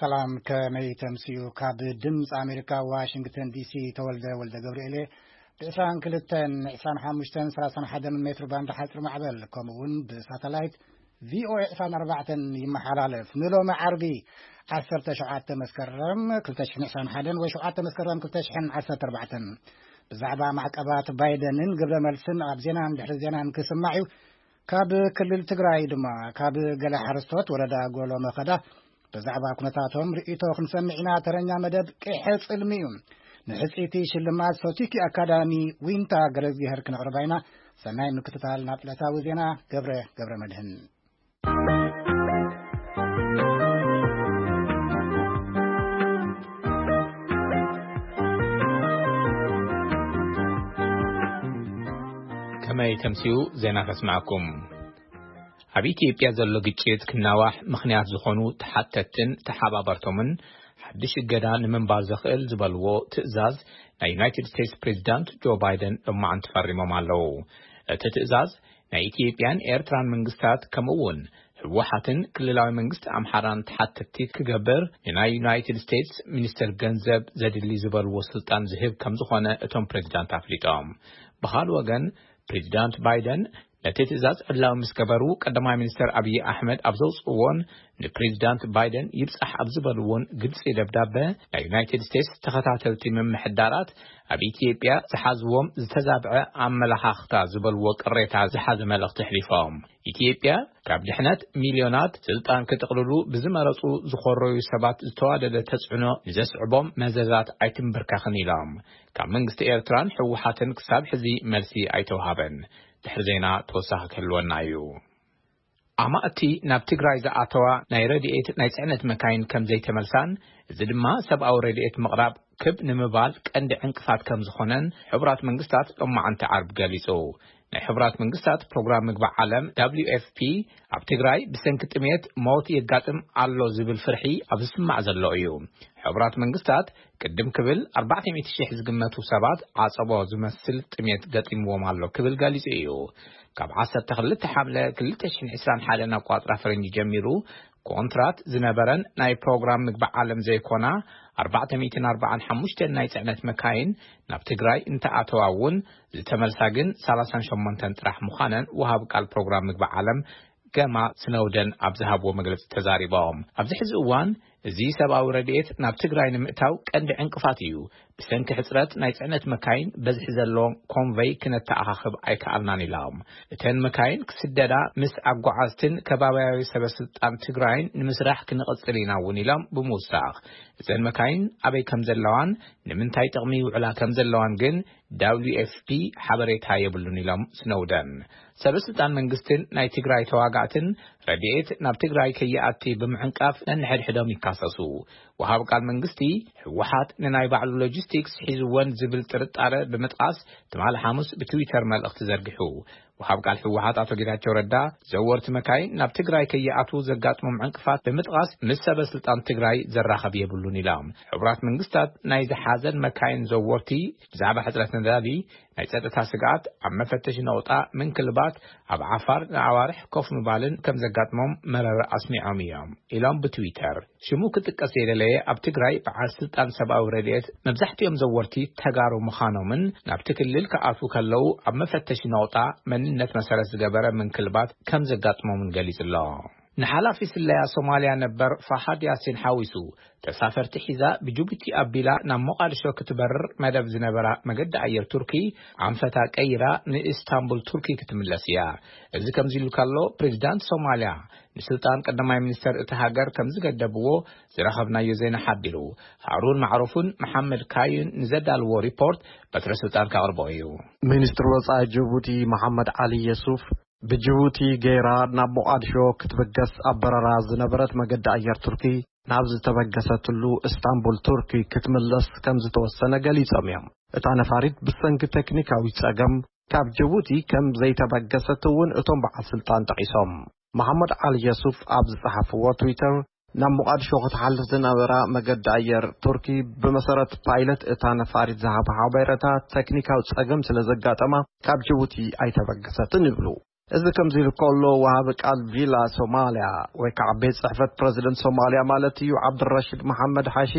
ሰላም፣ ከመይ ተምስዩ? ካብ ድምፂ ኣሜሪካ ዋሽንግተን ዲሲ ተወልደ ወልደ ገብርኤል እየ። ብ22፣ 25፣ 31 ሜትሮ ባንድ ሓፂር ማዕበል፣ ከምኡ እውን ብሳተላይት ቪኦኤ 24 ይመሓላለፍ። ንሎሚ ዓርቢ 17 መስከረም 2021 ወይ 7 መስከረም 2014፣ ብዛዕባ ማዕቀባት ባይደንን ግብረ መልስን ኣብ ዜናን ድሕሪ ዜናን ክስማዕ እዩ። ካብ ክልል ትግራይ ድማ ካብ ገለ ሓረስቶት ወረዳ ጎሎ መኸዳ ብዛዕባ ኩነታቶም ርእይቶ ክንሰምዕ ኢና። ተረኛ መደብ ቅሐ ጽልሚ እዩ። ንሕጽይቲ ሽልማት ሶቲኪ ኣካዳሚ ዊንታ ገረዝግሄር ክነቕርባ ኢና። ሰናይ ምክትታል። ናብ ዕለታዊ ዜና ገብረ ገብረ መድህን። ከመይ ተምስዩ? ዜና ከስማዕኩም። ኣብ ኢትዮጵያ ዘሎ ግጭት ክናዋሕ ምኽንያት ዝኾኑ ተሓተትን ተሓባበርቶምን ሓድሽ እገዳ ንምንባር ዘኽእል ዝበልዎ ትእዛዝ ናይ ዩናይትድ ስቴትስ ፕሬዚዳንት ጆ ባይደን ሎማዓንቲ ፈሪሞም ኣለዉ። እቲ ትእዛዝ ናይ ኢትዮጵያን ኤርትራን መንግስታት ከምኡ እውን ህወሓትን ክልላዊ መንግስቲ ኣምሓራን ተሓተቲ ክገብር ንናይ ዩናይትድ ስቴትስ ሚኒስትር ገንዘብ ዘድሊ ዝበልዎ ስልጣን ዝህብ ከም ዝኾነ እቶም ፕሬዚዳንት ኣፍሊጦም። ብኻል ወገን ፕሬዚዳንት ባይደን ነቲ ትእዛዝ ዕላዊ ምስ ገበሩ፣ ቀዳማይ ሚኒስትር ኣብይ ኣሕመድ ኣብ ዘውፅእዎን ንፕሬዚዳንት ባይደን ይብፃሕ ኣብ ዝበልዎን ግልፂ ደብዳበ፣ ናይ ዩናይትድ ስቴትስ ተኸታተልቲ ምምሕዳራት ኣብ ኢትዮጵያ ዝሓዝዎም ዝተዛብዐ ኣመለኻኽታ ዝበልዎ ቅሬታ ዝሓዘ መልእኽቲ ኣሕሊፎም። ኢትዮጵያ ካብ ድሕነት ሚልዮናት ስልጣን ክጥቕልሉ ብዝመረፁ ዝኾረዩ ሰባት ዝተዋደደ ተፅዕኖ ንዘስዕቦም መዘዛት ኣይትንብርከኽን ኢሎም። ካብ መንግስቲ ኤርትራን ህወሓትን ክሳብ ሕዚ መልሲ ኣይተውሃበን። ድሕሪ ዜና ተወሳኺ ክህልወና እዩ። ኣማእቲ ናብ ትግራይ ዝኣተዋ ናይ ረድኤት ናይ ጽዕነት መካይን ከም ዘይተመልሳን፣ እዚ ድማ ሰብኣዊ ረድኤት ምቕራብ ክብ ንምባል ቀንዲ ዕንቅፋት ከም ዝኾነን ሕቡራት መንግስታት ሎማዓንቲ ዓርብ ገሊጹ። ናይ ሕቡራት መንግስታት ፕሮግራም ምግቢ ዓለም፣ ደብሊው ኤፍ ፒ፣ ኣብ ትግራይ ብሰንኪ ጥሜት ሞት የጋጥም ኣሎ ዝብል ፍርሒ ኣብ ዝስማዕ ዘሎ እዩ። ሕቡራት መንግስታት ቅድም ክብል 400,000 ዝግመቱ ሰባት ዓጸቦ ዝመስል ጥሜት ገጢምዎም ኣሎ ክብል ገሊጹ እዩ። ካብ 12 ሓምለ 2021 ኣቋጽራ ፈረንጂ ጀሚሩ ኮንትራት ዝነበረን ናይ ፕሮግራም ምግቢ ዓለም ዘይኮና 445 ናይ ጽዕነት መካይን ናብ ትግራይ እንተኣተዋ እውን ዝተመልሳ ግን 38 ጥራሕ ምዃነን ወሃብ ቃል ፕሮግራም ምግቢ ዓለም ገማ ስነውደን ኣብ ዝሃብዎ መግለጺ ተዛሪቦም። ኣብዚ ሕዚ እዋን እዚ ሰብኣዊ ረድኤት ናብ ትግራይ ንምእታው ቀንዲ ዕንቅፋት እዩ። ብሰንኪ ሕጽረት ናይ ጽዕነት መካይን በዝሒ ዘለዎ ኮንቨይ ክነተኣኻኽብ ኣይከኣልናን ኢሎም። እተን መካይን ክስደዳ ምስ ኣጓዓዝትን ከባብያዊ ሰበ ስልጣን ትግራይን ንምስራሕ ክንቕጽል ኢና እውን ኢሎም ብምውሳኽ፣ እዘን መካይን ኣበይ ከም ዘለዋን ንምንታይ ጥቕሚ ይውዕላ ከም ዘለዋን ግን ደብሊው ኤፍ ፒ ሓበሬታ የብሉን ኢሎም ስነውደን። ሰበ ስልጣን መንግስትን ናይ ትግራይ ተዋጋእትን ረድኤት ናብ ትግራይ ከይኣቲ ብምዕንቃፍ ነንሕድሕዶም ይካሰሱ። ወሃብ ቃል መንግስቲ፣ ህወሓት ንናይ ባዕሉ ሎጂስቲክስ ሒዝወን ዝብል ጥርጣረ ብምጥቃስ ትማሊ ሓሙስ ብትዊተር መልእኽቲ ዘርጊሑ። ወሃብ ቃል ህወሓት ኣቶ ጌታቸው ረዳ፣ ዘወርቲ መካይን ናብ ትግራይ ከይኣትዉ ዘጋጥሞም ዕንቅፋት ብምጥቃስ ምስ ሰበ ስልጣን ትግራይ ዘራኸብ የብሉን ኢሎም። ሕቡራት መንግስታት ናይ ዝሓዘን መካይን ዘወርቲ ብዛዕባ ሕጽረት ነዳዲ፣ ናይ ጸጥታ ስግኣት፣ ኣብ መፈተሺ ነቑጣ ምንክልባት፣ ኣብ ዓፋር ንኣዋርሕ ኮፍ ምባልን ከም ዘጋጥሞም መረረ ኣስሚዖም እዮም ኢሎም ብትዊተር። ሽሙ ክጥቀስ ዘይደለየ ኣብ ትግራይ በዓል ስልጣን ሰብኣዊ ረድኤት መብዛሕትኦም ዘወርቲ ተጋሩ ምዃኖምን ናብቲ ክልል ክኣትዉ ከለዉ ኣብ መፈተሺ ነቑጣ መንነት መሰረት ዝገበረ ምንክልባት ከም ዘጋጥሞምን ገሊጹ ኣሎ። ንሓላፊ ስለያ ሶማልያ ነበር ፋሃድ ያሲን ሓዊሱ ተሳፈርቲ ሒዛ ብጅቡቲ ኣቢላ ናብ ሞቓድሾ ክትበርር መደብ ዝነበራ መገዲ ኣየር ቱርኪ ኣንፈታ ቀይራ ንኢስታንቡል ቱርኪ ክትምለስ እያ። እዚ ከምዚ ኢሉ ከሎ ፕሬዚዳንት ሶማልያ ንስልጣን ቀዳማይ ሚኒስተር እቲ ሃገር ከም ዝገደብዎ ዝረኸብናዮ ዜና ሓቢሩ። ሃሩን ማዕሩፍን መሓመድ ካዩን ንዘዳልዎ ሪፖርት በትረ ስልጣን ከቕርቦ እዩ። ሚኒስትሪ ወጻኢ ጅቡቲ መሓመድ ዓሊ የሱፍ ብጅቡቲ ገይራ ናብ ሞቓድሾ ክትብገስ ኣብ በረራ ዝነበረት መገዲ ኣየር ቱርኪ ናብ ዝተበገሰትሉ እስታንቡል ቱርኪ ክትምለስ ከም ዝተወሰነ ገሊጾም እዮም። እታ ነፋሪት ብሰንኪ ቴክኒካዊ ጸገም ካብ ጅቡቲ ከም ዘይተበገሰት እውን እቶም በዓል ስልጣን ጠቒሶም። መሓመድ ዓሊ የሱፍ ኣብ ዝጸሓፍዎ ትዊተር፣ ናብ ሞቓድሾ ክትሓልፍ ዝነበራ መገዲ ኣየር ቱርኪ ብመሰረት ፓይለት እታ ነፋሪት ዝሃቦ ሓበሬታ ቴክኒካዊ ጸገም ስለ ዘጋጠማ ካብ ጅቡቲ ኣይተበገሰትን ይብሉ። እዚ ከምዚ ኢሉ ከሎ፣ ወሃቢ ቃል ቪላ ሶማልያ ወይ ከዓ ቤት ጽሕፈት ፕረዚደንት ሶማልያ ማለት እዩ፣ ዓብድራሽድ መሓመድ ሓሺ፣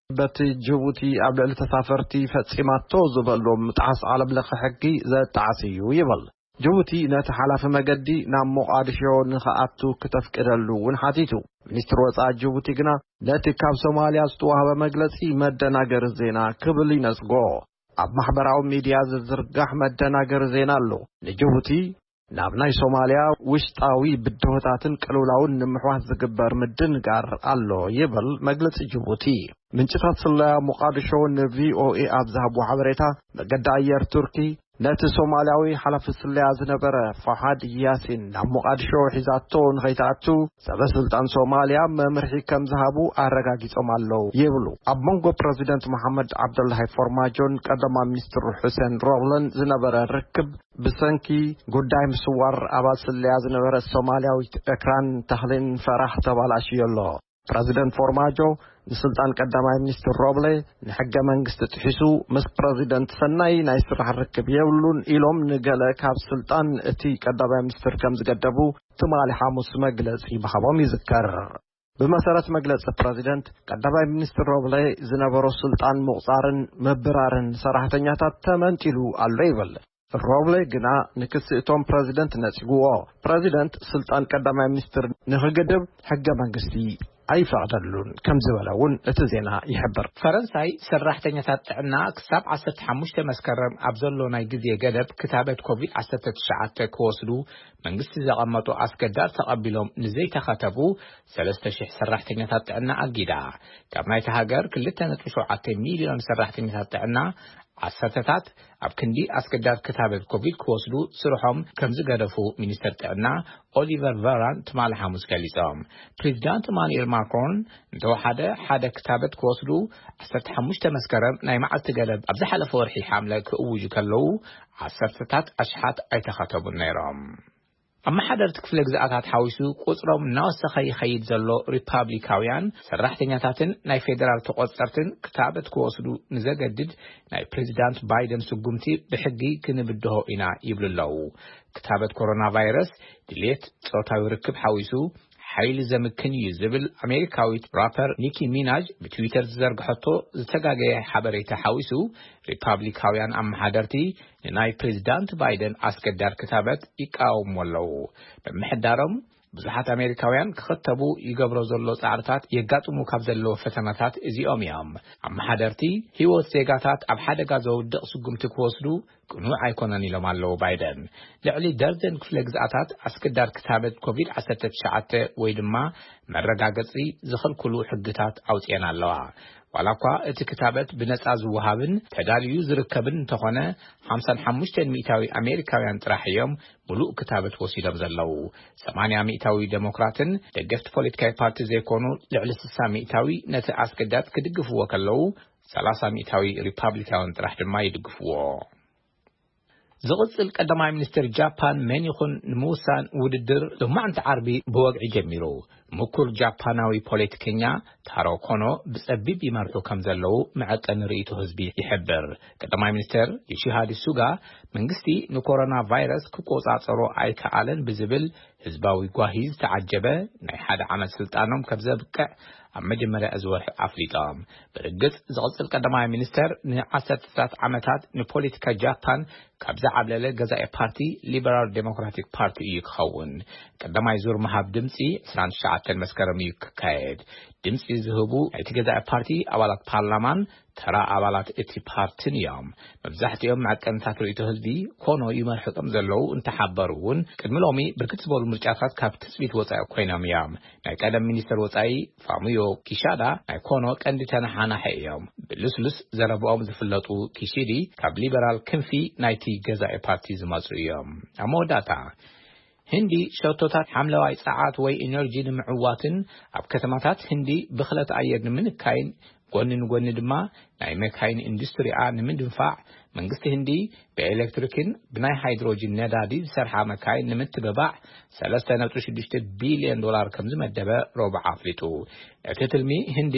በቲ ጅቡቲ ኣብ ልዕሊ ተሳፈርቲ ፈጺማቶ ዝበሎ ምጥሓስ ዓለም ለኸ ሕጊ ዘጣዕስ እዩ ይብል። ጅቡቲ ነቲ ሓላፊ መገዲ ናብ ሞቓድሾ ንኽኣቱ ክተፍቅደሉ እውን ሓቲቱ። ሚኒስትር ወጻኢ ጅቡቲ ግና ነቲ ካብ ሶማልያ ዝተዋህበ መግለጺ መደናገሪ ዜና ክብል ይነጽጎ። ኣብ ማሕበራዊ ሚድያ ዝዝርጋሕ መደናገሪ ዜና ኣሎ። ንጅቡቲ ናብ ናይ ሶማልያ ውሽጣዊ ብድሆታትን ቅልውላውን ንምሕዋስ ዝግበር ምድንጋር ኣሎ ይብል መግለጺ ጅቡቲ። ምንጭታት ስለያ ሞቓድሾ ንቪኦኤ ኣብ ዝሃብዎ ሓበሬታ፣ መገዲ ኣየር ቱርኪ ነቲ ሶማልያዊ ሓላፊ ስለያ ዝነበረ ፋሓድ ያሲን ናብ ሞቓድሾ ሒዛቶ ንኸይትኣቱ ሰበ ስልጣን ሶማልያ መምርሒ ከም ዝሃቡ ኣረጋጊጾም ኣለዉ ይብሉ። ኣብ መንጎ ፕረዚደንት መሓመድ ዓብደላሂ ፎርማጆን ቀዳማይ ሚኒስትር ሑሴን ሮብለን ዝነበረ ርክብ ብሰንኪ ጉዳይ ምስዋር ኣባል ስለያ ዝነበረት ሶማልያዊት ኤክራን ታህሊን ፈራህ ተባላሽዮ ኣሎ። ፕረዚደንት ፎርማጆ ንስልጣን ቀዳማይ ሚኒስትር ሮብለ ንሕገ መንግስቲ ጥሒሱ ምስ ፕረዚደንት ሰናይ ናይ ስራሕ ርክብ የብሉን ኢሎም ንገለ ካብ ስልጣን እቲ ቀዳማይ ሚኒስትር ከም ዝገደቡ ትማሊ ሓሙስ መግለጺ ምሃቦም ይዝከር። ብመሰረት መግለጺ ፕረዚደንት፣ ቀዳማይ ሚኒስትር ሮብለ ዝነበሮ ስልጣን ምቑጻርን ምብራርን ሰራሕተኛታት ተመንጢሉ ኣሎ ይብል። ሮብለ ግና ንክሲ እቶም ፕረዚደንት ነጺግዎ። ፕረዚደንት ስልጣን ቀዳማይ ሚኒስትር ንኽግድብ ሕገ መንግስቲ ኣይፈቕደሉን ከም ዝበለ እውን እቲ ዜና ይሕብር። ፈረንሳይ ሰራሕተኛታት ጥዕና ክሳብ ዓሰርተ ሓሙሽተ መስከረም ኣብ ዘሎ ናይ ግዜ ገደብ ክታበት ኮቪድ ዓሰርተ ትሽዓተ ክወስዱ መንግስቲ ዘቐመጦ ኣስገዳድ ተቐቢሎም ንዘይተኸተቡ ሰለስተ ሽሕ ሰራሕተኛታት ጥዕና ኣጊዳ። ካብ ናይቲ ሃገር ክልተ ነጥቢ ሸውዓተ ሚልዮን ሰራሕተኛታት ጥዕና ዓሰርተታት ኣብ ክንዲ ኣስገዳድ ክታበት ኮቪድ ክወስዱ ስርሖም ከም ዝገደፉ ሚኒስተር ጥዕና ኦሊቨር ቨራን ትማሊ ሓሙስ ገሊጾም። ፕሬዚዳንት ኢማኑኤል ማክሮን እንተወሓደ ሓደ ክታበት ክወስዱ ዓሰርተ ሓሙሽተ መስከረም ናይ መዓልቲ ገደብ ኣብ ዝሓለፈ ወርሒ ሓምለ ክእውጁ ከለዉ ዓሰርተታት ኣሽሓት ኣይተኸተቡን ነይሮም። ኣመሓደርቲ ክፍለ ግዝኣታት ሓዊሱ ቁጽሮም እናወሰኸ ይኸይድ ዘሎ ሪፓብሊካውያን ሰራሕተኛታትን ናይ ፌደራል ተቖጸርትን ክታበት ክወስዱ ንዘገድድ ናይ ፕሬዚዳንት ባይደን ስጉምቲ ብሕጊ ክንብድሆ ኢና ይብሉ ኣለዉ። ክታበት ኮሮና ቫይረስ ድሌት ጾታዊ ርክብ ሓዊሱ ሓይሊ ዘምክን እዩ ዝብል ኣሜሪካዊት ራፐር ኒኪ ሚናጅ ብትዊተር ዝዘርግሐቶ ዝተጋገየ ሓበሬታ ሓዊሱ ሪፓብሊካውያን ኣመሓደርቲ ንናይ ፕሬዚዳንት ባይደን ኣስገዳድ ክታበት ይቃወሙ ኣለዉ። ምምሕዳሮም ብዙሓት ኣሜሪካውያን ክኽተቡ ይገብሮ ዘሎ ጻዕርታት የጋጥሙ ካብ ዘለዉ ፈተናታት እዚኦም እዮም። ኣመሓደርቲ ህይወት ዜጋታት ኣብ ሓደጋ ዘውድቕ ስጉምቲ ክወስዱ ቅኑዕ ኣይኮነን ኢሎም ኣለዉ ባይደን። ልዕሊ ደርዘን ክፍለ ግዝኣታት ኣስገዳድ ክታበት ኮቪድ ዓሰርተ ትሽዓተ ወይ ድማ መረጋገጺ ዝኽልክሉ ሕግታት ኣውጺኤን ኣለዋ። ዋላ እኳ እቲ ክታበት ብነጻ ዝወሃብን ተዳልዩ ዝርከብን እንተኾነ፣ ሓምሳን ሓሙሽተን ሚእታዊ ኣሜሪካውያን ጥራሕ እዮም ምሉእ ክታበት ወሲዶም ዘለዉ። ሰማንያ ሚእታዊ ዴሞክራትን ደገፍቲ ፖለቲካዊ ፓርቲ ዘይኮኑ ልዕሊ ስሳ ሚእታዊ ነቲ ኣስገዳድ ክድግፍዎ ከለዉ፣ ሰላሳ ሚእታዊ ሪፓብሊካውያን ጥራሕ ድማ ይድግፍዎ። ዝቕጽል ቀዳማይ ሚኒስትር ጃፓን መን ይኹን ንምውሳን ውድድር ሎማዕንቲ ዓርቢ ብወግዒ ጀሚሩ። ምኩር ጃፓናዊ ፖለቲከኛ ታሮ ኮኖ ብጸቢብ ይመርሑ ከም ዘለዉ መዐቀኒ ርእይቶ ህዝቢ ይሕብር። ቀዳማይ ሚኒስትር ዮሺሃዲ ሱጋ መንግስቲ ንኮሮና ቫይረስ ክቆጻጸሮ ኣይከኣለን ብዝብል ህዝባዊ ጓሂ ዝተዓጀበ ናይ ሓደ ዓመት ስልጣኖም ከም ዘብቅዕ ኣብ መጀመርያ እዚ ወርሒ ኣፍሊጦም። ብርግጽ ዝቕጽል ቀዳማይ ሚኒስተር ንዓሰርተታት ዓመታት ንፖለቲካ ጃፓን ካብ ዝዓብለለ ገዛኢ ፓርቲ ሊበራል ዴሞክራቲክ ፓርቲ እዩ ክኸውን። ቀዳማይ ዙር ምሃብ ድምጺ ዕስራን ትሽዓተን መስከረም እዩ ክካየድ። ድምጺ ዝህቡ ናይቲ ገዛኢ ፓርቲ ኣባላት ፓርላማን ተራ ኣባላት እቲ ፓርትን እዮም። መብዛሕትኦም መዐቀንታት ርእይቶ ህዝቢ ኮኖ ይመርሑ ከም ዘለዉ እንተሓበሩ እውን፣ ቅድሚ ሎሚ ብርክት ዝበሉ ምርጫታት ካብ ትጽቢት ወጻኢ ኮይኖም እዮም። ናይ ቀደም ሚኒስተር ወጻኢ ፋሙዮ ኪሻዳ ናይ ኮኖ ቀንዲ ተነሓናሒ እዮም። ብልስሉስ ዘረብኦም ዝፍለጡ ኪሺዲ ካብ ሊበራል ክንፊ ናይቲ ገዛኢ ፓርቲ ዝመጹ እዮም። ኣብ መወዳእታ፣ ህንዲ ሸቶታት ሓምለዋይ ጸዓት ወይ ኢነርጂ ንምዕዋትን ኣብ ከተማታት ህንዲ ብኽለት ኣየር ንምንካይን፣ ጎኒ ንጎኒ ድማ ናይ መካይን ኢንዱስትሪኣ ንምድንፋዕ፣ መንግስቲ ህንዲ ብኤሌክትሪክን ብናይ ሃይድሮጅን ነዳዲ ዝሰርሓ መካይን ንምትብባዕ ሰለስተ ነጥቢ ሽዱሽተ ቢልዮን ዶላር ከም ዝመደበ ረቡዕ ኣፍሊጡ። እቲ ትልሚ ህንዲ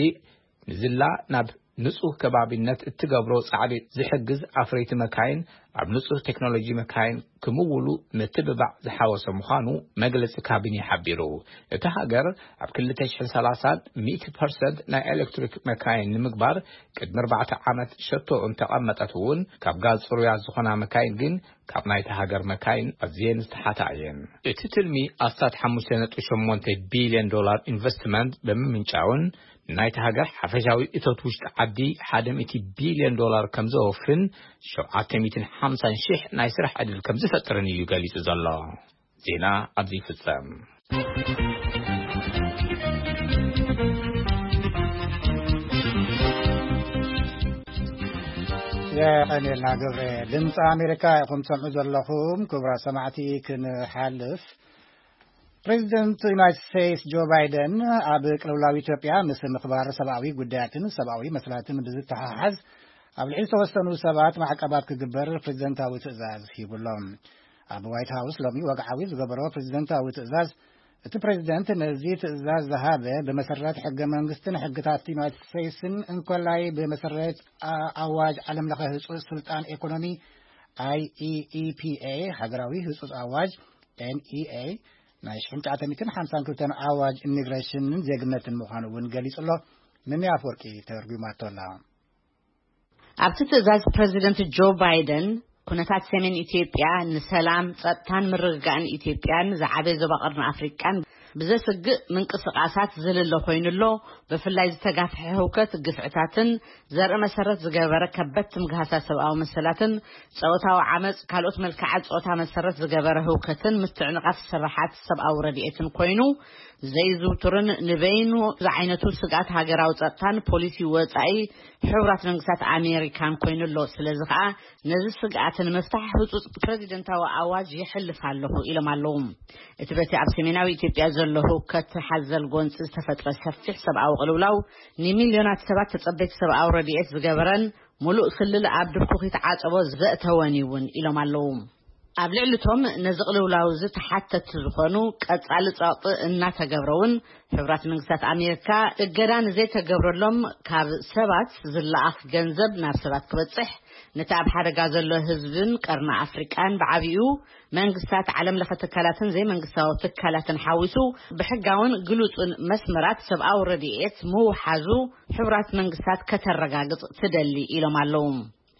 ንዝላ ናብ ንጹህ ከባቢነት እትገብሮ ጻዕሪ ዝሕግዝ ኣፍረይቲ መካይን ኣብ ንጹህ ቴክኖሎጂ መካይን ክምውሉ ምትብባዕ ዝሓወሰ ምዃኑ መግለጺ ካቢኔ ሓቢሩ። እታ ሃገር ኣብ ክልተ ሽሕን ሰላሳን ሚእቲ ፐርሰንት ናይ ኤሌክትሪክ መካይን ንምግባር ቅድሚ ኣርባዕተ ዓመት ሸቶ እንተቐመጠት እውን፣ ካብ ጋዝ ጽሩያት ዝኾና መካይን ግን ካብ ናይታ ሃገር መካይን ኣዝየን ዝተሓታ እየን። እቲ ትልሚ ኣስታት ሓሙሽተ ነጥቢ ሸሞንተ ቢልዮን ዶላር ኢንቨስትመንት ብምምንጫውን፣ ናይታ ሃገር ሓፈሻዊ እቶት ውሽጢ ዓዲ ሓደ ሚእቲ ቢልዮን ዶላር ከም ዘወፍን፣ ሸውዓተ ሚእትን ሓምሳን ሽሕ ናይ ስራሕ ዕድል ከም ዝፈጥርን እዩ ገሊጹ ዘሎ። ዜና ኣብዚ ይፍጸም። የቐኔልና ገብረ። ድምፂ ኣሜሪካ ኢኹም ትሰምዑ ዘለኹም። ክቡራት ሰማዕቲ፣ ክንሓልፍ፣ ፕሬዚደንት ዩናይትድ ስቴትስ ጆ ባይደን ኣብ ቅልውላው ኢትዮጵያ ምስ ምኽባር ሰብኣዊ ጉዳያትን ሰብኣዊ መሰላትን ብዝተሓሓዝ ኣብ ልዕሊ ዝተወሰኑ ሰባት ማዕቀባት ክግበር ፕሬዚደንታዊ ትእዛዝ ሂቡ ኣሎ። ኣብ ዋይት ሃውስ ሎሚ ወግዓዊ ዝገበሮ ፕሬዚደንታዊ ትእዛዝ፣ እቲ ፕሬዚደንት ነዚ ትእዛዝ ዝሃበ ብመሰረት ሕገ መንግስትን ሕግታት ዩናይትድ ስቴትስን እንኮላይ ብመሰረት ኣ-፣ ኣዋጅ ዓለም ለኸ ህጹጽ ስልጣን ኤኮኖሚ፣ ኣይኢኢፒኤ፣ ሃገራዊ ህጹጽ ኣዋጅ፣ ኤንኢኤ፣ ናይ ሽሕን ትሽዓተ ሚእትን ሓምሳን ክልተን ኣዋጅ ኢሚግሬሽንን ዜግነትን ምዃኑ እውን ገሊጹ ኣሎ። ምምያ ኣፈወርቂ ተርጒማቶ ኣላ። ኣብቲ ትእዛዝ ፕረዚደንት ጆ ባይደን፣ ኩነታት ሰሜን ኢትዮጵያ ንሰላም፣ ጸጥታን ምርግጋእን ኢትዮጵያን ዝዓበየ ዞባ ቀርኒ ኣፍሪቃን ብዘስግእ ምንቅስቓሳት ዝልለ ኮይኑ ኣሎ። ብፍላይ ዝተጋፍሐ ህውከት፣ ግፍዕታትን ዘርኢ መሰረት ዝገበረ ከበድቲ ምግሃሳት ሰብኣዊ መሰላትን ጾታዊ ዓመጽ፣ ካልኦት መልክዓት ጾታ መሰረት ዝገበረ ህውከትን ምትዕንቓፍ ስራሓት ሰብኣዊ ረድኤትን ኮይኑ ዘይዝውቱርን ንበይኑ ዝዓይነቱ ስግኣት ሃገራዊ ጸጥታን ፖሊሲ ወጻኢ ሕቡራት መንግስታት ኣሜሪካን ኮይኑ ኣሎ። ስለዚ ከኣ ነዚ ስግኣት ንምፍታሕ ህጹጽ ፕረዚደንታዊ ኣዋጅ የሕልፍ ኣለኹ ኢሎም ኣለዉ። እቲ በቲ ኣብ ሰሜናዊ ኢትዮጵያ ዘሎ ህውከት ሓዘል ጎንጺ ዝተፈጥረ ሰፊሕ ሰብኣዊ ቅልውላው ንሚልዮናት ሰባት ተጸበይቲ ሰብኣዊ ረድኤት ዝገበረን ምሉእ ክልል ኣብ ድርኩኺት ዓጸቦ ዘእተወን እውን ኢሎም ኣለዉ። ኣብ ልዕሊ እቶም ነዚ ቅልውላው እዚ ተሓተቲ ዝኾኑ ቀጻሊ ጸቕጢ እናተገብረ እውን፣ ሕቡራት መንግስታት ኣሜሪካ እገዳ ንዘይተገብረሎም ካብ ሰባት ዝለኣኽ ገንዘብ ናብ ሰባት ክበጽሕ፣ ነቲ ኣብ ሓደጋ ዘሎ ህዝብን ቀርኒ ኣፍሪቃን ብዓቢኡ መንግስታት፣ ዓለም ለኸ ትካላትን ዘይመንግስታዊ ትካላትን ሓዊሱ ብሕጋውን ግሉጽን መስመራት ሰብኣዊ ረድኤት ምውሓዙ ሕቡራት መንግስታት ከተረጋግጽ ትደሊ ኢሎም ኣለዉ።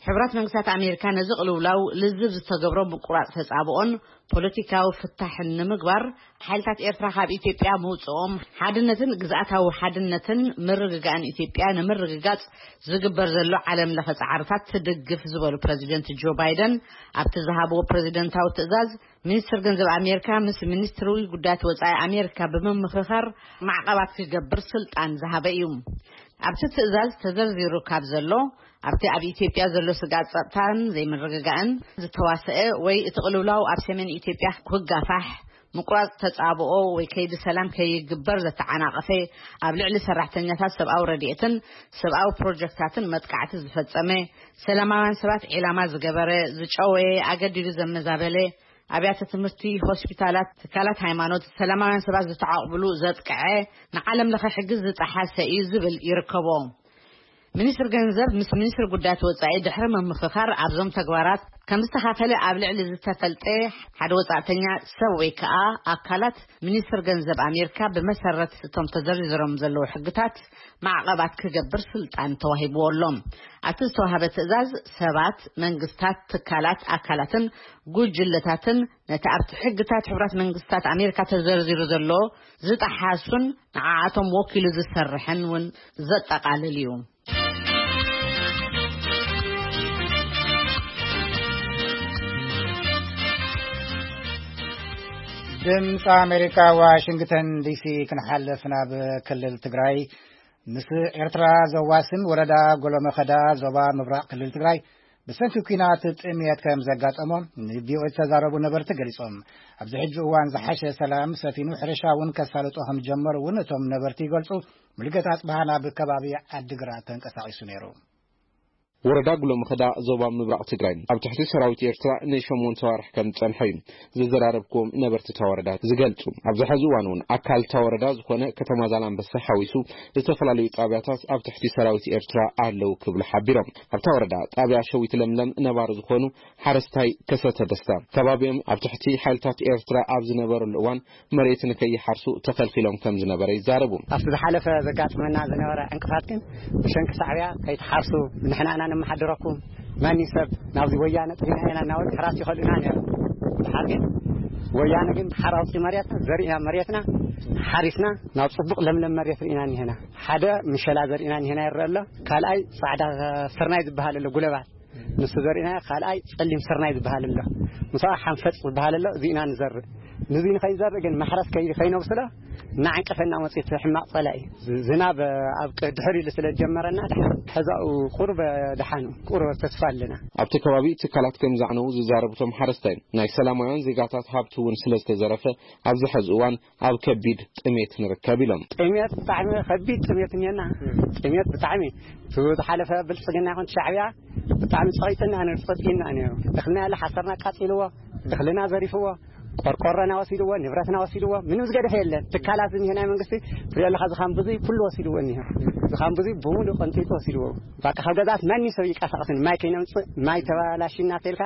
ሕቡራት መንግስታት ኣሜሪካ ነዚ ቅልውላው ልዝብ ዝተገብሮ ምቁራጽ ተጻብኦን ፖለቲካዊ ፍታሕን ንምግባር፣ ሓይልታት ኤርትራ ካብ ኢትዮጵያ ምውጽኦም፣ ሓድነትን ግዝኣታዊ ሓድነትን ምርግጋእን ኢትዮጵያ ንምርግጋጽ ዝግበር ዘሎ ዓለም ለኸ ጻዕርታት ትድግፍ ዝበሉ ፕረዚደንት ጆ ባይደን፣ ኣብቲ ዝሃብዎ ፕረዚደንታዊ ትእዛዝ፣ ሚኒስትር ገንዘብ ኣሜሪካ ምስ ሚኒስትሪ ጉዳያት ወጻኢ ኣሜሪካ ብምምኽኻር ማዕቐባት ክገብር ስልጣን ዝሃበ እዩ። ኣብቲ ትእዛዝ ተዘርዚሩ ካብ ዘሎ፣ ኣብቲ ኣብ ኢትዮጵያ ዘሎ ስግኣት ጸጥታን ዘይምርግጋእን ዝተዋሰአ ወይ እቲ ቅልውላው ኣብ ሰሜን ኢትዮጵያ ክጋፋሕ፣ ምቁራጽ ተጻብኦ ወይ ከይዲ ሰላም ከይግበር ዘተዓናቐፈ፣ ኣብ ልዕሊ ሰራሕተኛታት ሰብኣዊ ረድኤትን ሰብኣዊ ፕሮጀክታትን መጥቃዕቲ ዝፈጸመ፣ ሰላማውያን ሰባት ዒላማ ዝገበረ፣ ዝጨወየ፣ ኣገዲዱ ዘመዛበለ፣ ኣብያተ ትምህርቲ፣ ሆስፒታላት፣ ትካላት ሃይማኖት፣ ሰላማውያን ሰባት ዝተዓቑብሉ ዘጥቅዐ፣ ንዓለም ለኸ ሕጊ ዝጠሓሰ እዩ ዝብል ይርከቦ። ሚኒስትር ገንዘብ ምስ ሚኒስትር ጉዳያት ወጻኢ ድሕሪ ምምኽኻር ኣብዞም ተግባራት ከም ዝተኻፈለ ኣብ ልዕሊ ዝተፈልጠ ሓደ ወጻእተኛ ሰብ ወይ ከኣ ኣካላት ሚኒስትር ገንዘብ ኣሜሪካ ብመሰረት እቶም ተዘርዚሮም ዘለዉ ሕግታት ማዕቐባት ክገብር ስልጣን ተዋሂብዎ ኣሎ። ኣብቲ ዝተዋሃበ ትእዛዝ ሰባት፣ መንግስታት፣ ትካላት፣ ኣካላትን ጉጅለታትን ነቲ ኣብቲ ሕግታት ሕቡራት መንግስታት ኣሜሪካ ተዘርዚሩ ዘሎ ዝጠሓሱን ንዓኣቶም ወኪሉ ዝሰርሕን እውን ዘጠቓልል እዩ። ድምፂ ኣሜሪካ፣ ዋሽንግተን ዲሲ። ክንሓልፍ ናብ ክልል ትግራይ፣ ምስ ኤርትራ ዘዋስን ወረዳ ጎሎመኸዳ፣ ዞባ ምብራቕ ክልል ትግራይ፣ ብሰንኪ ኲናት ጥምየት ከም ዘጋጠሞ ንቪኦኤ ዝተዛረቡ ነበርቲ ገሊጾም። ኣብዚ ሕጂ እዋን ዝሓሸ ሰላም ሰፊኑ፣ ሕርሻ እውን ከሳልጦ ከም ጀመሩ እውን እቶም ነበርቲ ይገልጹ። ሙሉጌታ ኣጽብሃ ናብ ከባቢ ዓዲግራት ተንቀሳቒሱ ነይሩ። ወረዳ ጉሎ ምኽዳ ዞባ ምብራቕ ትግራይ ኣብ ትሕቲ ሰራዊት ኤርትራ ንሸሞንተ ዋርሕ ከም ዝጸንሐ እዩ ዘዘራረብኩም ነበርቲ እታ ወረዳ ዝገልጹ። ኣብዚ ሕዚ እዋን እውን ኣካል እታ ወረዳ ዝኾነ ከተማ ዛላንበሳ ሓዊሱ ዝተፈላለዩ ጣብያታት ኣብ ትሕቲ ሰራዊት ኤርትራ ኣለዉ ክብሉ ሓቢሮም። ኣብታ ወረዳ ጣብያ ሸዊት ለምለም ነባሪ ዝኾኑ ሓረስታይ ከሰተ ደስታ ከባቢኦም ኣብ ትሕቲ ሓይልታት ኤርትራ ኣብ ዝነበረሉ እዋን መሬት ንከይሓርሱ ተኸልኪሎም ከም ዝነበረ ይዛረቡ። ኣብቲ ዝሓለፈ ዘጋጥመና ዝነበረ ዕንቅፋት ግን ብሰንኪ ሳዕብያ ከይትሓርሱ ንሕና ኢና ነመሓድረኩም፣ ማንም ሰብ ናብዚ ወያነ ጥሪና ኢና እናበሉ ሕራስ ይኸልኡና ነይሩ። ድሓር ግን ወያነ ግን ድሓር ኣውፂ መሬትና ዘሪእና መሬትና ሓሪስና ናብ ፅቡቕ ለምለም መሬት ርኢና እኒሄና። ሓደ ምሸላ ዘሪእና እኒሄና ይረአ ኣሎ። ካልኣይ ፃዕዳ ስርናይ ዝበሃል ኣሎ ጉለባት ንሱ ዘሪእና፣ ካልኣይ ፀሊም ስርናይ ዝበሃል ኣሎ፣ ምስኣ ሓንፈፅ ዝበሃል ኣሎ። እዚእና ንዘርእ። ንዚ ንኸይንዘርእ ግን ማሕረስ ከይ- ከይነብስሎ እናዓንቀፈና መፅኡ እቲ ሕማቕ ፀላኢ። ዝ- ዝናብ ኣብ ቅ- ድሕር ኢሉ ስለ ዝጀመረና ድሓን ሕዛኡ ቁሩብ ድሓን ቁሩብ ተስፋ ኣለና። ኣብቲ ከባቢ ትካላት ከም ዘዕነዉ ዝዛረቡ እቶም ሓረስታይ፣ ናይ ሰላማውያን ዜጋታት ሃብቲ እውን ስለ ዝተዘረፈ ኣብዚ ሕዚ እዋን ኣብ ከቢድ ጥሜት ንርከብ ኢሎም። ጥሜት ብጣዕሚ ከቢድ ጥሜት እኒአና። ጥሜት ብጣዕሚ እቲ ዝሓለፈ ብልፅግና ይኹን ሻዕብያ ብጣዕሚ ፀቒጥና ነይሩ፣ ፀፂና ነይሩ። እኽልና ያለ ሓሰርና ኣቃፂልዎ፣ እኽልና ዘሪፍዎ፣ ቆርቆሮና ወሲድዎ፣ ንብረትና ወሲድዎ። ምንም ዝገደፈ የለን። ትካላት እኒሀ ናይ መንግስቲ ትሪኦ ኣለኻ፣ ዝኻን ብዙይ ኩሉ ወሲድዎ እኒሀ። ዝኻን ብዙይ ብምሉእ ቀንጢጡ ወሲድዎ። በቃ ካብ ገዛት ማንም ሰብ ይንቀሳቐስን ማይ ከይነምፅእ ማይ ተባላሽና ተልካ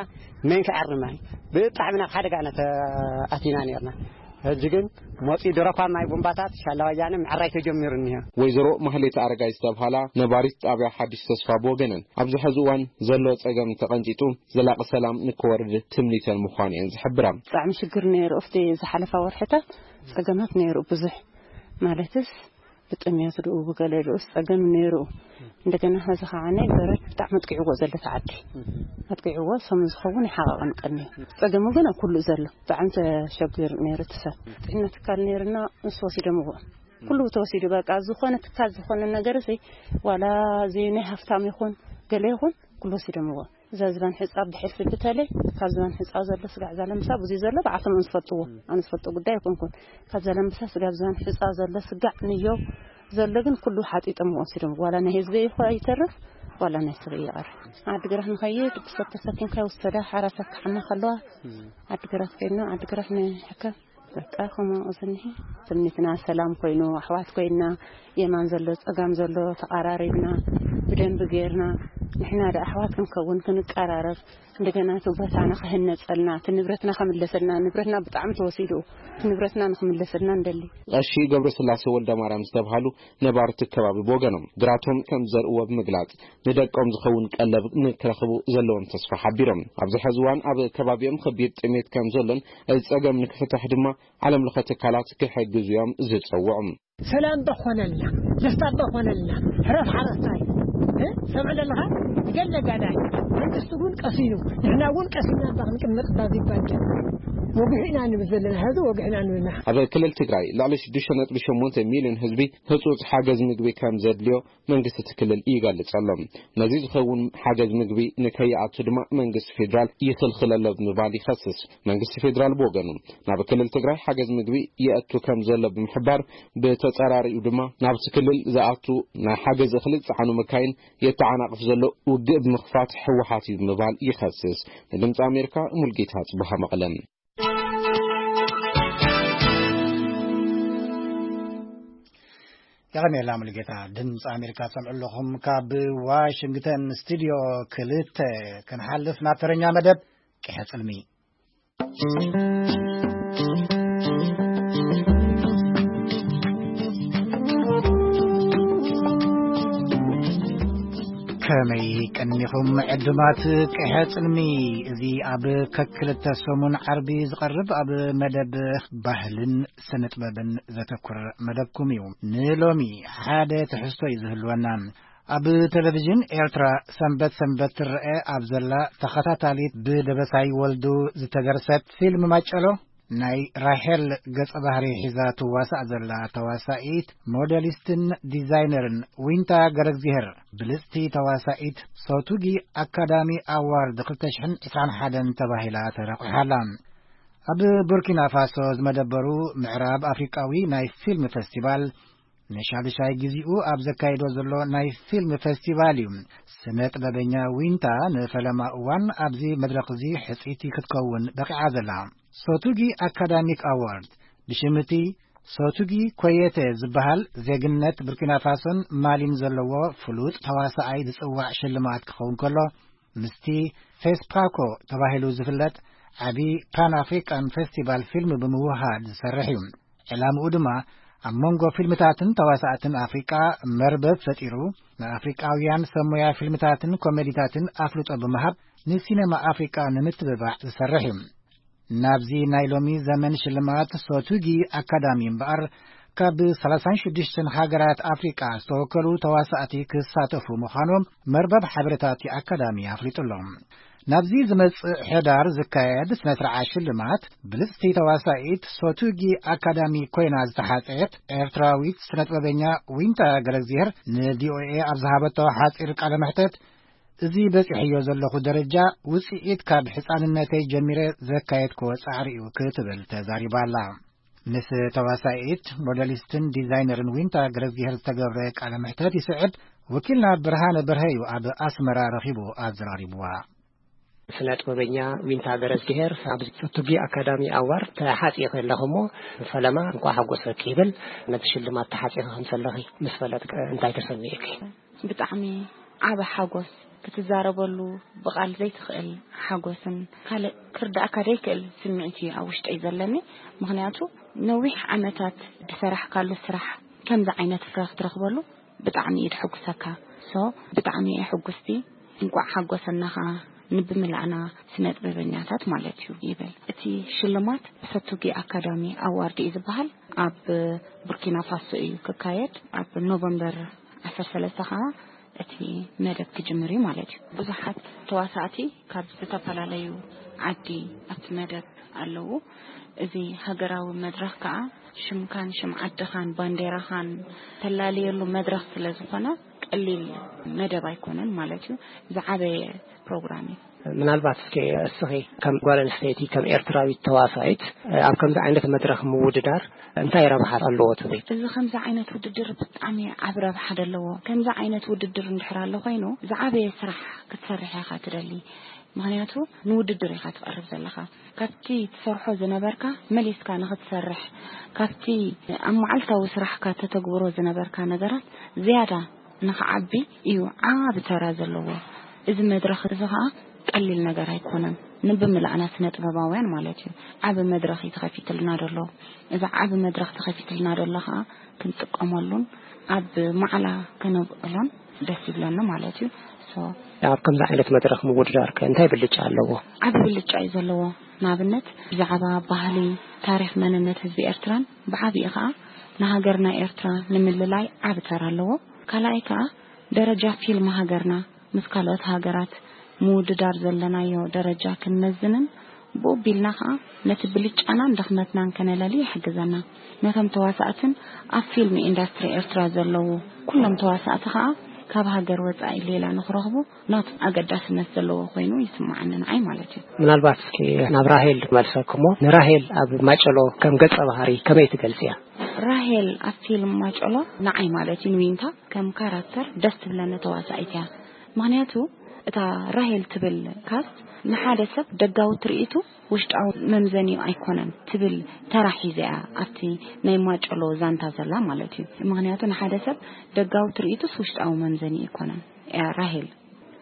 መን ክዓሪ ማይ ብጣዕሚ ናብ ሓደጋ ኢና ተኣቲና ነርና። ሕጂ ግን መፂኡ ድረኳ ማይ ቡምባታት ሻላ ወያነ ምዕራይ ተጀሚሩ እኒሀ። ወይዘሮ ማህሌት ኣረጋይ ዝተብሃላ ነባሪት ጣብያ ሓድሽ ተስፋ ብወገነን ኣብዚ ሕዚ እዋን ዘሎ ጸገም ተቐንጢጡ ዘላቒ ሰላም ንክወርድ ትምኒተን ምዃኑ እየን ዝሕብራ። ብጣዕሚ ሽግር ነይሩ። ኣብቲ ዝሓለፋ ወርሕታት ጸገማት ነይሩ ብዙሕ። ማለትስ ብጥምየት ድኡ ብገለ ድኡስ ጸገም ነይሩ። እንደገና ኸዚ ኸዓ ናይ በረድ ብጣዕሚ ኣጥቂዕዎ ዘሎ እቲ ዓዲ። ኣጥቂዕዎ ሰሙን ዝኸውን ይሓቐቐን ቀኒ። ጸገሙ ግን ኣብ ኩሉ ዘሎ። ብጣዕሚ ተሸጊሩ ነይሩ እቲ ሰብ። ጥዕና ትካል ነይርና፣ ንሱ ወሲዶምዎ። ኩሉ ተወሲዱ በቃ። ዝኾነ ትካል ዝኾነ ነገር እዚ ዋላ እዚ ናይ ሃፍታም ይኹን ገለ ይኹን ኩሉ ወሲዶምዎ። እዛ ዝባን ሕጻ ብድሕር ስብተለይ ካብ ዝባን ሕጻ ዘሎ ስጋዕ ዛለምሳ ብዙይ ዘሎ ብዓቶም እዮም ዝፈልጥዎ። ኣነ ዝፈልጦ ጉዳይ ኣይኮንኩን። ካብ ዛለምሳ ስጋብ ዝባን ሕጻ ዘሎ ስጋዕ ንየው ዘሎ ግን ኩሉ ሓጢጦም ወሲዶም። ዋላ ናይ ህዝቢ ይኹ ኣይተርፍ፣ ዋላ ናይ ሰብ ይቐር። ዓድግራት ንኸይድ ብሰብ ተሰኪምካ ይወሰዳ፣ ሓራሳት ክሓማ ከለዋ ዓድግራት ከይድና ዓድግራት ንሕከም። በቃ ከምኡ ዝኒሀ ትምኒትና ሰላም ኮይኑ፣ ኣሕዋት ኮይና፣ የማን ዘሎ ጸጋም ዘሎ ተቐራሪብና፣ ብደንቢ ጌርና፣ ንሕና ደኣ ኣሕዋት ክንከውን ክንቀራረብ፣ እንደገና እቲ ቦታና ክህነጸልና፣ እቲ ንብረትና ክምለሰልና፣ ንብረትና ብጣዕሚ ተወሲዱ፣ እቲ ንብረትና ንክምለሰልና ንደሊ። ቀሺ ገብረስላሴ ወልደ ማርያም ዝተብሃሉ ነባርቲ ከባቢ ብወገኖም፣ ግራቶም ከም ዘርእዎ ብምግላጽ፣ ንደቆም ዝኸውን ቀለብ ንክረኽቡ ዘለዎም ተስፋ ሓቢሮም፣ ኣብዚ ሕዚ እዋን ኣብ ከባቢኦም ከቢድ ጥሜት ከም ዘሎን፣ እዚ ጸገም ንክፍታሕ ድማ ዓለም ለኸ ትካላት ክሕግዙ እዮም ዝጸውዑ። ሰላም ዶ ኾነልና፣ ደስታ ዶ ኾነልና፣ ሕረፍ ሓረስታይ፣ እ? ሰምዕ ዘለኻ? ገለ ጋዳይ፣ መንግስቲ እውን ቀሲኑ፣ ንሕና እውን ቀሲና እባ ክንቅመጥ እባ ዝባጀ። ወግሑ ኢና ንብል ዘለና፣ ሕዚ ወግሑ ኢና ንብልና። ኣብ ክልል ትግራይ ልዕሊ ሽዱሽተ ነጥቢ ሸሞንተ ሚልዮን ህዝቢ ህጹጽ ሓገዝ ምግቢ ከም ዘድልዮ መንግስቲ እቲ ክልል ይገልጽ ኣሎ። ነዚ ዝኸውን ሓገዝ ምግቢ ንከይኣቱ ድማ መንግስቲ ፌዴራል ይኽልኽል ኣሎ ብምባል ይኸስስ። መንግስቲ ፌዴራል ብወገኑ ናብ ክልል ትግራይ ሓገዝ ምግቢ የእቱ ከም ዘሎ ብምሕባር፣ ብተጻራሪኡ ድማ ናብቲ ክልል ዝኣቱ ናይ ሓገዝ እኽሊ ዝጸዓኑ መካይን የተዓናቕፍ ዘሎ ውግእ ብምኽፋት ህወሓት እዩ ብምባል ይኸስስ። ንድምፂ ኣሜሪካ ሙልጌታ ጽቡሃ መቐለ። የቐንየልና ሙሉጌታ። ድምፂ ኣሜሪካ ትሰምዑ ኣለኹም። ካብ ዋሽንግተን ስቱዲዮ ክልተ ክንሓልፍ ናብ ተረኛ መደብ ቅሐ ጽልሚ። ከመይ ቀኒኹም ዕዱማት ቅሐ ጽልሚ? እዚ ኣብ ከክልተ ሰሙን ዓርቢ ዝቐርብ ኣብ መደብ ባህልን ስነ ጥበብን ዘተኩር መደብኩም እዩ። ንሎሚ ሓደ ትሕዝቶ እዩ ዝህልወና። ኣብ ቴሌቪዥን ኤርትራ ሰንበት ሰንበት ትረአ ኣብ ዘላ ተኸታታሊት ብደበሳይ ወልዱ ዝተደርሰት ፊልም ማጨሎ፣ ናይ ራሄል ገጸ ባህሪ ሒዛ ትዋሳእ ዘላ ተዋሳኢት፣ ሞዴሊስትን ዲዛይነርን ዊንታ ገረግዚሄር ብልጽቲ ተዋሳኢት ሶቱጊ ኣካዳሚ ኣዋርድ ክልተ ሽሕን ዕስራን ሓደን ተባሂላ ተረቑሓ ኣላ። ኣብ ቡርኪና ፋሶ ዝመደበሩ ምዕራብ ኣፍሪቃዊ ናይ ፊልም ፈስቲቫል ንሻዱሻይ ግዜኡ ኣብ ዘካይዶ ዘሎ ናይ ፊልም ፈስቲቫል እዩ። ስነ ጥበበኛ ዊንታ ንፈለማ እዋን ኣብዚ መድረኽ እዚ ሕጽይቲ ክትከውን በቒዓ ዘላ። ሶቱጊ ኣካዳሚክ ኣዋርድ ብሽም እቲ ሶቱጊ ኮየተ ዝበሃል ዜግነት ቡርኪና ፋሶን ማሊን ዘለዎ ፍሉጥ ተዋሳኣይ ዝጽዋዕ ሽልማት ክኸውን ከሎ፣ ምስቲ ፌስፓኮ ተባሂሉ ዝፍለጥ ዓቢ ፓን ኣፍሪካን ፌስቲቫል ፊልም ብምውሃድ ዝሰርሕ እዩ። ዕላምኡ ድማ ኣብ መንጎ ፊልምታትን ተዋሳእትን ኣፍሪቃ መርበብ ፈጢሩ፣ ንኣፍሪቃውያን ሰብ ሞያ ፊልምታትን ኮሜዲታትን ኣፍልጦ ብምሃብ ንሲነማ ኣፍሪቃ ንምትብባዕ ዝሰርሕ እዩ። ናብዚ ናይ ሎሚ ዘመን ሽልማት ሶቱጊ ኣካዳሚ እምበኣር፣ ካብ ሰላሳን ሽዱሽተን ሃገራት ኣፍሪቃ ዝተወከሉ ተዋሳእቲ ክሳተፉ ምዃኖም መርበብ ሓበሬታት ኣካዳሚ ኣፍሊጡ ኣሎ። ናብዚ ዝመጽእ ሕዳር ዝካየድ ስነ ስርዓት ሽልማት፣ ብልጽቲ ተዋሳኢት ሶቱጊ ኣካዳሚ ኮይና ዝተሓጸየት ኤርትራዊት ስነጥበበኛ ዊንታ ገረግዚሄር ንቪኦኤ ኣብ ዝሃበቶ ሓጺር ቃለ መሕተት፣ እዚ በጺሐዮ ዘለኹ ደረጃ ውጽኢት ካብ ሕጻንነተይ ጀሚረ ዘካየድክዎ ጻዕሪ እዩ ክትብል ተዛሪባ ኣላ። ምስ ተዋሳኢት፣ ሞዴሊስትን ዲዛይነርን ዊንታ ገረዝጊሄር ዝተገብረ ቃለ መሕተት ይስዕብ። ወኪልና ብርሃነ በርሀ እዩ ኣብ ኣስመራ ረኺቡ ኣዘራሪብዋ። ስነ ጥበበኛ ዊንታ ገረዝጊሄር ኣብ ሶቱጊ ኣካዳሚ ኣዋርድ ተሓጺኺ ኣለኺ እሞ፣ ፈለማ እንኳዕ ሓጎሰኪ ይብል። ነቲ ሽልማት ተሓጺኺ ከም ዘለኺ ምስ ፈለጥኪ እንታይ ተሰሚዑኪ? ብጣዕሚ ዓቢ ሓጎስ፣ ክትዛረበሉ ብቓል ዘይትኽእል ሓጎስን ካልእ ክርዳእካ ዘይክእል ስምዒት እዩ ኣብ ውሽጠይ ዘለኒ። ምኽንያቱ ነዊሕ ዓመታት ዝሰራሕካሉ ስራሕ ከምዚ ዓይነት ፍረ ክትረኽበሉ ብጣዕሚ እዩ ድሕጉሰካ። ሶ ብጣዕሚ እየ ሕጉስቲ። እንቋዕ ሓጎሰና ኸኣ ንብምላዕና ስነ ጥበበኛታት ማለት እዩ ይብል። እቲ ሽልማት ሶቱጊ ኣካዳሚ ኣዋርድ እዩ ዝበሃል። ኣብ ቡርኪና ፋሶ እዩ ክካየድ። ኣብ ኖቨምበር ዓሰርተ ሰለስተ ኸኣ እቲ መደብ ክጅምር እዩ ማለት እዩ። ብዙሓት ተዋሳእቲ ካብ ዝተፈላለዩ ዓዲ ኣብቲ መደብ ኣለዉ። እዚ ሃገራዊ መድረኽ ከኣ ሽምካን ሽም ዓድኻን ባንዴራኻን ተላልየሉ መድረኽ ስለ ዝኾነ ቀሊል መደብ ኣይኮነን ማለት እዩ። ዝዓበየ ፕሮግራም እዩ። ምናልባት እስኪ እስኺ ከም ጓል ኣንስተይቲ፣ ከም ኤርትራዊት ተዋሳኢት፣ ኣብ ከምዚ ዓይነት መድረኽ ምውድዳር እንታይ ረብሓ ኣለዎ ትብሊ? እዚ ከምዚ ዓይነት ውድድር ብጣዕሚ ዓቢ ረብሓ ደለዎ። ከምዚ ዓይነት ውድድር እንድሕር ኣሎ ኮይኑ፣ ዝዓበየ ስራሕ ክትሰርሕ ኢኻ ትደሊ። ምኽንያቱ ንውድድር ኢኻ ትቐርብ ዘለኻ። ካብቲ ትሰርሖ ዝነበርካ መሊስካ ንኽትሰርሕ፣ ካብቲ ኣብ መዓልታዊ ስራሕካ ተተግብሮ ዝነበርካ ነገራት ዝያዳ ንኽዓቢ እዩ ዓቢ ተራ ዘለዎ። እዚ መድረኽ እዚ ኸኣ ቀሊል ነገር ኣይኮነን። ንብምላዕና ስነ ጥበባውያን ማለት እዩ። ዓቢ መድረኽ እዩ ተኸፊትልና ዘሎ። እዚ ዓቢ መድረኽ ተኸፊትልና ዘሎ ኸኣ ክንጥቀመሉን ኣብ ማዕላ ከነብዕሎን ደስ ይብለኒ ማለት እዩ። ሶ ኣብ ከምዚ ዓይነት መድረኽ ምውድዳር ከ እንታይ ብልጫ ኣለዎ? ዓቢ ብልጫ እዩ ዘለዎ። ንኣብነት ብዛዕባ ባህሊ፣ ታሪኽ፣ መንነት ህዝቢ ኤርትራን ብዓቢኡ ኸኣ ንሃገርና ኤርትራ ንምልላይ ዓቢ ተራ ኣለዎ። ካልኣይ ከኣ ደረጃ ፊልም ሃገርና ምስ ካልኦት ሃገራት ምውድዳር ዘለናዮ ደረጃ ክንመዝንን ብኡ ቢልና ኸኣ ነቲ ብልጫናን ድኽመትናን ከነለሊ ይሕግዘና። ነቶም ተዋሳእትን ኣብ ፊልም ኢንዳስትሪ ኤርትራ ዘለዉ ኩሎም ተዋሳእቲ ኸኣ ካብ ሃገር ወጻኢ ሌላ ንኽረኽቡ ናቱ ኣገዳስነት ዘለዎ ኮይኑ ይስምዓኒ ንዓይ ማለት እዩ። ምናልባት እስኪ ናብ ራሄል መልሰክሞ፣ ንራሄል ኣብ ማጨሎ ከም ገጸ ባህሪ ከመይ ትገልጽያ? ራሄል ኣብ ፊልም ማጨሎ ንዓይ ማለት እዩ ንዊንታ ከም ካራክተር ደስ ትብለኒ ተዋሳኢት እያ። ምኽንያቱ እታ ራሄል ትብል ካስት ንሓደ ሰብ ደጋዊ ትርኢቱ ውሽጣዊ መምዘኒኡ ኣይኮነን ትብል ተራ ሒዛ እያ ኣብቲ ናይ ማጨሎ ዛንታ ዘላ ማለት እዩ። ምኽንያቱ ንሓደ ሰብ ደጋዊ ትርኢቱስ ውሽጣዊ መምዘኒኡ ኣይኮነን እያ ራሄል።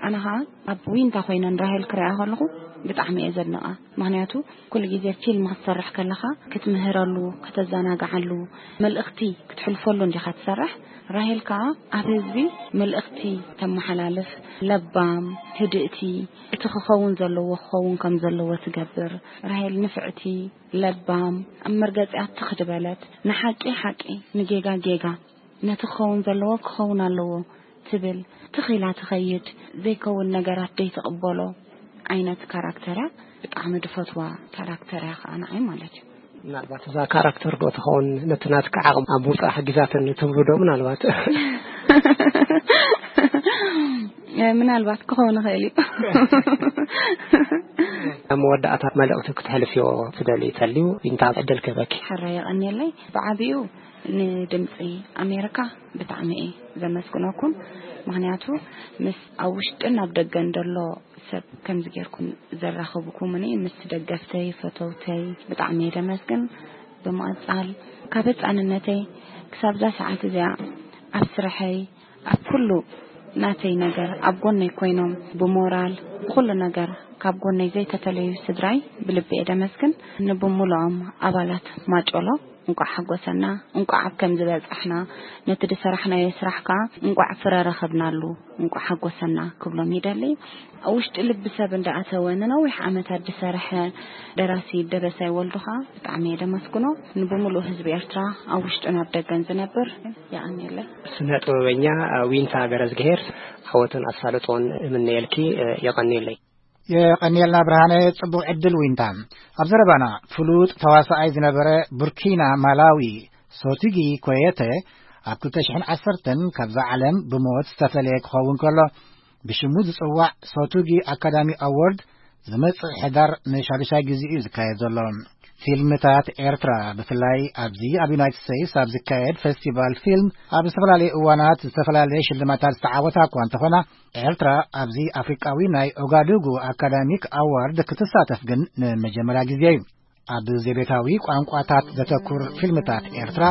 ኣነ ኸኣ ኣብ ዊንታ ኮይነ ንራሄል ክሪኣ ከለኹ ብጣዕሚ እየ ዘድንቓ። ምኽንያቱ ኩሉ ግዜ ፊልም ክትሰርሕ ከለኻ ክትምህረሉ፣ ከተዘናግዓሉ፣ መልእኽቲ ክትሕልፈሉ እንዲኻ ትሰርሕ። ራሄል ከኣ ኣብ ህዝቢ መልእኽቲ ተመሓላልፍ፣ ለባም፣ ህድእቲ፣ እቲ ክኸውን ዘለዎ ክኸውን ከም ዘለዎ ትገብር። ራሄል ንፍዕቲ፣ ለባም፣ ኣብ መርገጺኣ ትኽ ዝበለት፣ ንሓቂ ሓቂ፣ ንጌጋ ጌጋ፣ ነቲ ክኸውን ዘለዎ ክኸውን ኣለዎ ትብል፣ ትኽ ኢላ ትኸይድ፣ ዘይከውን ነገራት ዘይትቕበሎ ዓይነት ካራክተር እያ። ብጣዕሚ ድፈትዋ ካራክተር እያ ኸኣ ንዓይ ማለት እዩ። ምናልባት እዛ ካራክተር ዶ ትኸውን ነቲ ናትካ ዓቕም ኣብ ምውጻእ ሓጊዛትኒ ትብሉ ዶ? ምናልባት ምናልባት ክኸውን ይኽእል እዩ። ኣብ መወዳእታ መልእኽቲ ክትሕልፍዮ ትደልዩ ተልዩ፣ እንታይ ዕድል ክህበኪ? ሕራይ የቐንየለይ። ብዓቢኡ ንድምፂ ኣሜሪካ ብጣዕሚ እየ ዘመስግነኩም። ምኽንያቱ ምስ ኣብ ውሽጥን ኣብ ደገን ዘሎ ሰብ ከምዚ ጌርኩም ዘራኽብኩምኒ፣ ምስ ደገፍተይ፣ ፈተውተይ ብጣዕሚ እየ ደመስግን። ብምቕጻል ካብ ህጻንነተይ ክሳብ እዛ ሰዓት እዚኣ ኣብ ስርሐይ፣ ኣብ ኩሉ ናተይ ነገር ኣብ ጎነይ ኮይኖም ብሞራል ብኩሉ ነገር ካብ ጎነይ ዘይተተለዩ ስድራይ ብልቢ እየ ደመስግን። ንብምሉኦም ኣባላት ማጨሎ እንቋዕ ሓጎሰና፣ እንቋዕ ኣብ ከምዚ በጻሕና፣ ነቲ ዝሰራሕናዮ ስራሕ ከኣ እንቋዕ ፍረ ረኸብናሉ፣ እንቋዕ ሓጎሰና ክብሎም ይደሊ። ኣብ ውሽጢ ልቢ ሰብ እንዳኣተወ ንነዊሕ ዓመታት ዝሰርሐ ደራሲ ደበሳይ ወልዱ ከኣ ብጣዕሚ እየ ደመስግኖ። ንብምሉእ ህዝቢ ኤርትራ ኣብ ውሽጥን ኣብ ደገን ዝነብር የቐንየለይ። ስነ ጥበበኛ ዊንታ ገረዝግሄር፣ ዓወትን ኣሳልጦን እምነየልኪ። የቐንየለይ። የቐንየልና ብርሃነ፣ ጽቡቕ ዕድል ዊንታ። ኣብ ዘረባና ፍሉጥ ተዋሳኣይ ዝነበረ ቡርኪና ማላዊ ሶቲጊ ኮየተ ኣብ ክልተ ሽሕን ዓሰርተን ካብዛ ዓለም ብሞት ዝተፈለየ ክኸውን ከሎ፣ ብሽሙ ዝጽዋዕ ሶቱጊ ኣካዳሚ ኣዎርድ ዝመጽእ ሕዳር ንሻዱሻይ ግዜ እዩ ዝካየድ ዘሎ። ፊልምታት ኤርትራ፣ ብፍላይ ኣብዚ ኣብ ዩናይትድ ስቴትስ ኣብ ዝካየድ ፌስቲቫል ፊልም፣ ኣብ ዝተፈላለየ እዋናት ዝተፈላለየ ሽልማታት ዝተዓወታ እኳ እንተኾና፣ ኤርትራ ኣብዚ ኣፍሪቃዊ ናይ ኦጋዱጉ ኣካዳሚክ ኣዋርድ ክትሳተፍ ግን ንመጀመርያ ግዜ እዩ። ኣብ ዘቤታዊ ቋንቋታት ዘተኩር ፊልምታት ኤርትራ፣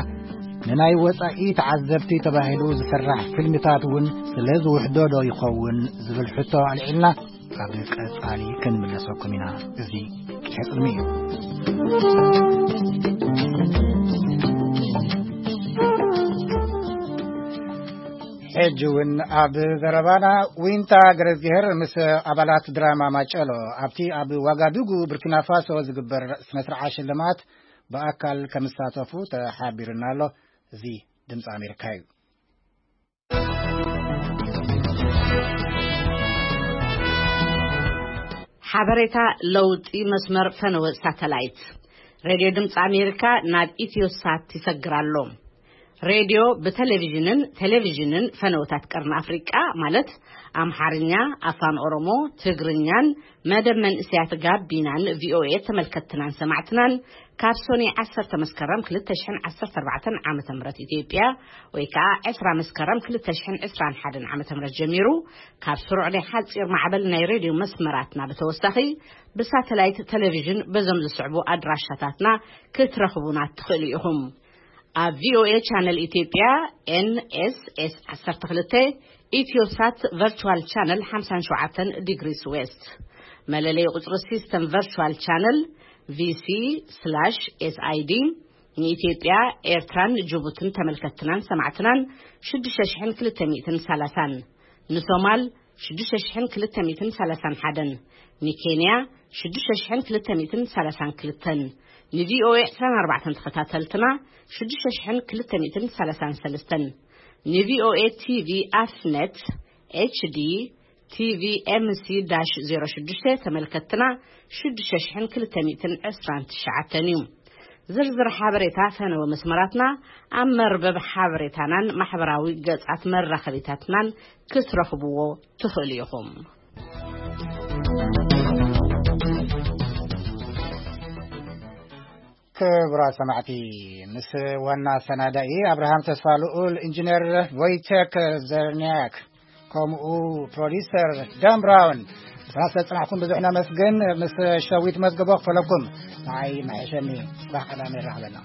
ንናይ ወጻኢ ተዓዘብቲ ተባሂሉ ዝስራሕ ፊልምታት እውን ስለ ዝውሕዶ ዶ ይኸውን ዝብል ሕቶ ኣልዒልና፣ ኣብ ቀጻሊ ክንምለሰኩም ኢና። እዚ ሕጽሚ እዩ። ሕጂ እውን ኣብ ዘረባና፣ ዊንታ ገረዝግሄር ምስ ኣባላት ድራማ ማጨሎ ኣብቲ ኣብ ዋጋዱጉ ቡርኪና ፋሶ ዝግበር ስነ ስርዓት ሽልማት ብኣካል ከምሳተፉ ተሓቢሩና ኣሎ። እዚ ድምፂ ኣሜሪካ እዩ። ሓበሬታ ለውጢ መስመር ፈነወ ሳተላይት። ሬድዮ ድምፂ ኣሜሪካ ናብ ኢትዮሳት ይሰግር ኣሎ። ሬድዮ ብቴሌቪዥንን፣ ቴሌቪዥንን ፈነወታት ቀርኒ ኣፍሪቃ፣ ማለት ኣምሓርኛ፣ ኣፋን ኦሮሞ፣ ትግርኛን መደብ መንእሰያት ጋቢናን ቪኦኤ ተመልከትትናን ሰማዕትናን ካብ ሶኒ ዓሰርተ መስከረም ክልተ ሽሕን ዓሰርተ ኣርባዕተን ዓመተ ምህረት ኢትዮጵያ፣ ወይ ከዓ ዕስራ መስከረም ክልተ ሽሕን ዕስራን ሓደን ዓመተ ምህረት ጀሚሩ፣ ካብ ስሩዕ ናይ ሓፂር ማዕበል ናይ ሬድዮ መስመራትና ብተወሳኺ፣ ብሳተላይት ቴሌቪዥን በዞም ዝስዕቡ ኣድራሻታትና ክትረኽቡና ትኽእሉ ኢኹም። ኣብ ቪኦኤ ቻነል ኢትዮጵያ፣ ኤንኤስኤስ ዓሰርተ ክልተ፣ ኢትዮሳት ቨርቹዋል ቻነል ሓምሳን ሸውዓተን ዲግሪስ ዌስት። መለለይ ቁጽሪ ሲስተም ቨርቹዋል ቻነል፣ ቪሲ ስላሽ ኤስኣይዲ፣ ንኢትዮጵያ፣ ኤርትራን ጅቡትን ተመልከትትናን ሰማዕትናን ሽዱሽተ ሽሕን ክልተ ሚእትን ሰላሳን፣ ንሶማል ሽዱሽተ ሽሕን ክልተ ሚእትን ሰላሳን ሓደን፣ ንኬንያ ሽዱሽተ ሽሕን ክልተ ሚእትን ሰላሳን ክልተን፣ ንቪኦኤ ዕስራን ኣርባዕተን ተኸታተልትና ሽዱሽተ ሽሕን ክልተ ሚእትን ሰላሳን ሰለስተን፣ ንቪኦኤ ቲቪ ኣፍነት ኤችዲ ቲቪ ኤምሲ ዳሽ ዜሮ ሽዱሽተ ተመልከትና ሽዱሽተ ሽሕን ክልተ ሚእትን ዕስራን ትሽዓተን እዩ። ዝርዝር ሓበሬታ ፈነወ መስመራትና ኣብ መርበብ ሓበሬታናን ማሕበራዊ ገጻት መራኸቢታትናን ክትረኽብዎ ትኽእሉ ኢኹም። ክቡራት ሰማዕቲ፣ ምስ ዋና ኣሰናዳኢ ኣብርሃም ተስፋ ልኡል፣ ኢንጂነር ቮይቴክ ዘርኒያክ፣ ከምኡ ፕሮዲሰር ዳን ብራውን፣ ብስና ስለ ዝጸናሕኩም ብዙሕ ነመስግን። ምስ ሸዊት መዝገቦ ክፈለኩም። ንዓይ መሐሸኒ፣ ጽባሕ ቀዳመ ይራኸበና።